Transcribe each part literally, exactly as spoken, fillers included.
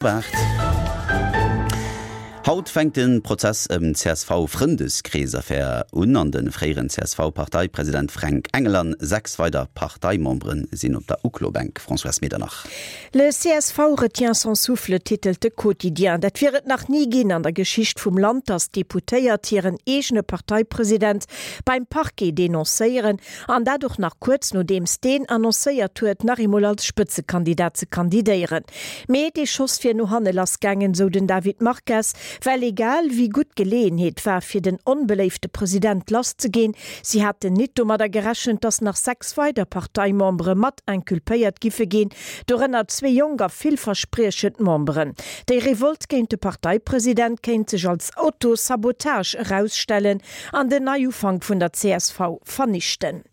Aacht. Haut fänkt de Prozess ëm d'CSV-Frëndeskrees-Affär un an de fréieren C S V-Parteipresident Fränk Engel an sechs weider Parteimembere sinn op der Uklobänk. Françoise Medernach. Le C S V retient son souffle, titelt de Quotidien. Dat wier et nach ni ginn an der Geschicht vum Land, datt Deputéiert hiren eegene Parteipresident beim Parquet denoncéieren, an dat och nach kuerz nodeems deen annoncéiert huet, nach eemol als Spëtzekandidat ze kandidéieren. Mee dee Schoss wier no hanne lassgaangen, sou den David Marques, well egal wéi gutt d'Geleeënheet war fir den onbeléifte President lasszeginn, si haten nit domadder gerechent, datt nach sechs weider Parteimembere mat inculpéiert giffe ginn, dorënner zwee jonk a villverspriechend Memberen. Déi Revolt géint de Parteipresident kéint sech als Autosabotage erausstellen an den Neiufank vun der C S V vernichten.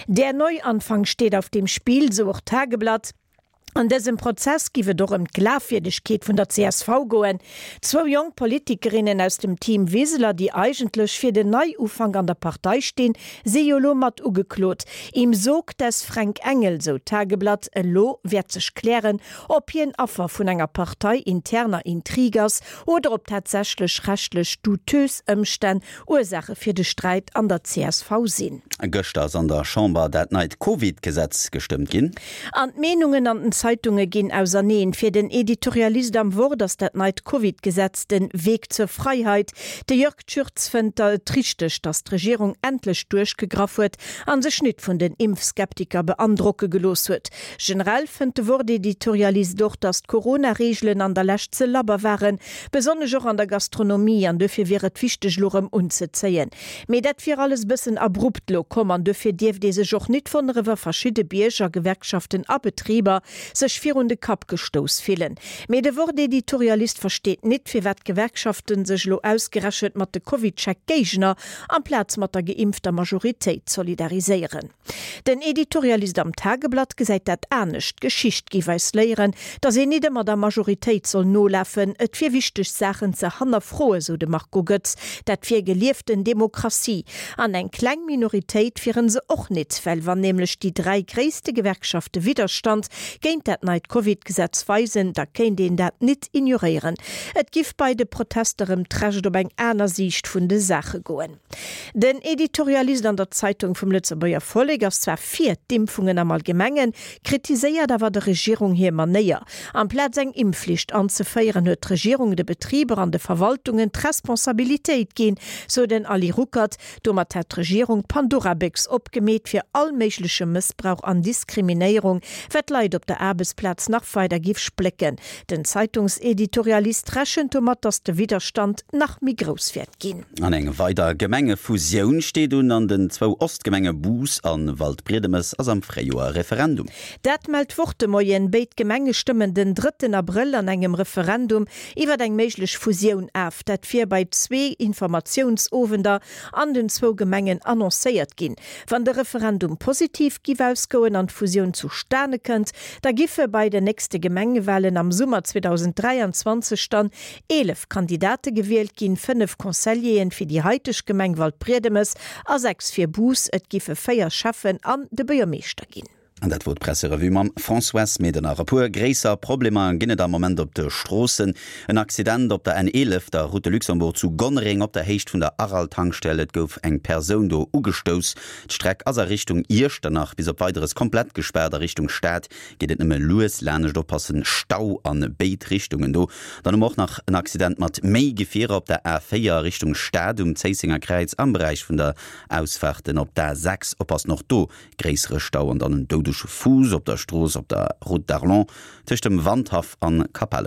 Der Neuanfang steht auf dem Spiel, sou och d'Tageblatt. An dësem Prozess giff et och ëm d'Glafwierdegkeet vun der C S V goen. Zwou jonk Politikerinnen aus dem Team Wiseler, déi eigentlech fir den Neiufank an der Partei stinn, si jo lo mat ugeklot. Im Sog des Fränk Engel, sou d'Tageblatt, elo wäert sech klären, ob hien Affer vun enger parteiinterner Intrig ass oder ob tatsächlech rechtlech douteuse Ëmstänn Ursaache fir de Sträit an der C S V sinn. Gëschter ass an der Chamber dat neit Covid-Gesetz gestëmmt ginn. An d'Meenungen an den Zeitunge ginn auserneen. Fir den Editorialist am Wort ass dat neit Covid-Gesetz den Weg zur Freiheit. De Jörg Tschürtz fënnt et richteg, datt d'Regierung endlech duerchgegraff huet an sech nit vun den Impfskeptiker beandrocke gelooss huet. Generell fënnt de Wort-Editorialist och, datt d'Corona-Reegelen an der Lescht ze labber waren, besonnesch och an der Gastronomie, an dofir wier et wichteg lo rëm unzezéien. Mee dat wier alles bëssen abrupt lo komm an dofir dierft ee sech och nit wonnere wa verschidde Bierger, Gewerkschaften a Betriber sech virun de Kapp gestouss fillen. Mee de Wort-Editorialist versteet nit, firwat d'Gewerkschaften sech lo ausgerechent mat de CovidCheck-Géigner amplaz mat der geimpfter Majoritéit solidariséieren. Den Editorialist am Tageblatt gesäit dat anescht. D'Geschicht giff eis léieren, datt een nit ëmmer der Majoritéit soll nolafen, et wier wichteg Saachen ze hannerfroen, sou de Marco Goetz, dat wier gelieften Demokratie. An eng kleng Minoritéit wieren se och nit, well wann nämlech déi dräi gréisste Gewerkschafte Widderstand géint dat neit Covid-Gesetz weisen, da kéint een dat nit ignoréieren. Et giff bei de Protester ëm d'Recht op eng aner Siicht vun de Saache goen. Den Editorialist an der Zeitung vum Lëtzebuerger Vollek ass zwar fir d'Impfungen am Allgemengen, kritiséiert awer der Regierung hir Manéier. Amplaz eng Impfflicht anzeféieren, huet d'Regierung de Betriber an de Verwaltungen d'Responsabilitéit ginn, sou den Ali Ruckert. Domat hätt d'Regierung d'Pandorabéchs opgemeet fir all méigleche Mëssbrauch an Diskriminéierung, wat d'Leit op der Aarbechtsplaz nach weider giff splécken. Den Zeitungseditorialist rechent domat, datt de Widderstand nach méi grouss wäert ginn. An eng weider Gemengefusioun steet un. An den zwou Ostgemenge Bous a Waldbriedemes ass am Fréijoer Referendum. Dat mellt d'Wort de Moien. Béid Gemenge stëmmen den drëtten Abrëll an engem Referendum iwwer eng méiglech Fusioun of. Dat wier bei zwee Informatiounsowender an den zwou Gemengen annoncéiert ginn. Wann de Referendum positiv giff ausgoen an d'Fusioun zustane kënnt, da giffe bei den nächste Gemengewalen am Summer zweedausend dräianzwanzeg dann eelef Kandidate gewielt ginn, fënnef Conseilleren fir déi haiteg Gemeng Waldbriedemes a sechs fir Bous, et giffe véier Schäffen an de Buergermeeschter ginn. An dat wor d'Presserevue mam Françoise Medernach. E puer gréisser Problemer ginn et am Moment op de Stroossen. En Accident op der N eelef, der Route de Luxembourg zu Gonnereng op der Héicht vun der Aral-Tankstell. Et gouf eng Persoun do ugestouss. D'Streck ass a Richtung Iechternach bis op Weideres komplett gespaart. A Richtung Stad geet et nëmme lues laanscht, oppassen, Stau a béid Richtungen do. Dann hu mer och nach en Accident mat méi Gefierer op der A véier Richtung Stad um Zéissenger Kräiz am Beräich vun der Ausfaarten op d'A sechs. Oppassen, och do gréissere Stau an dann en doudege Fuuss op der Strooss op der Route d'Arlon tëscht dem Wandhaff an Capellen.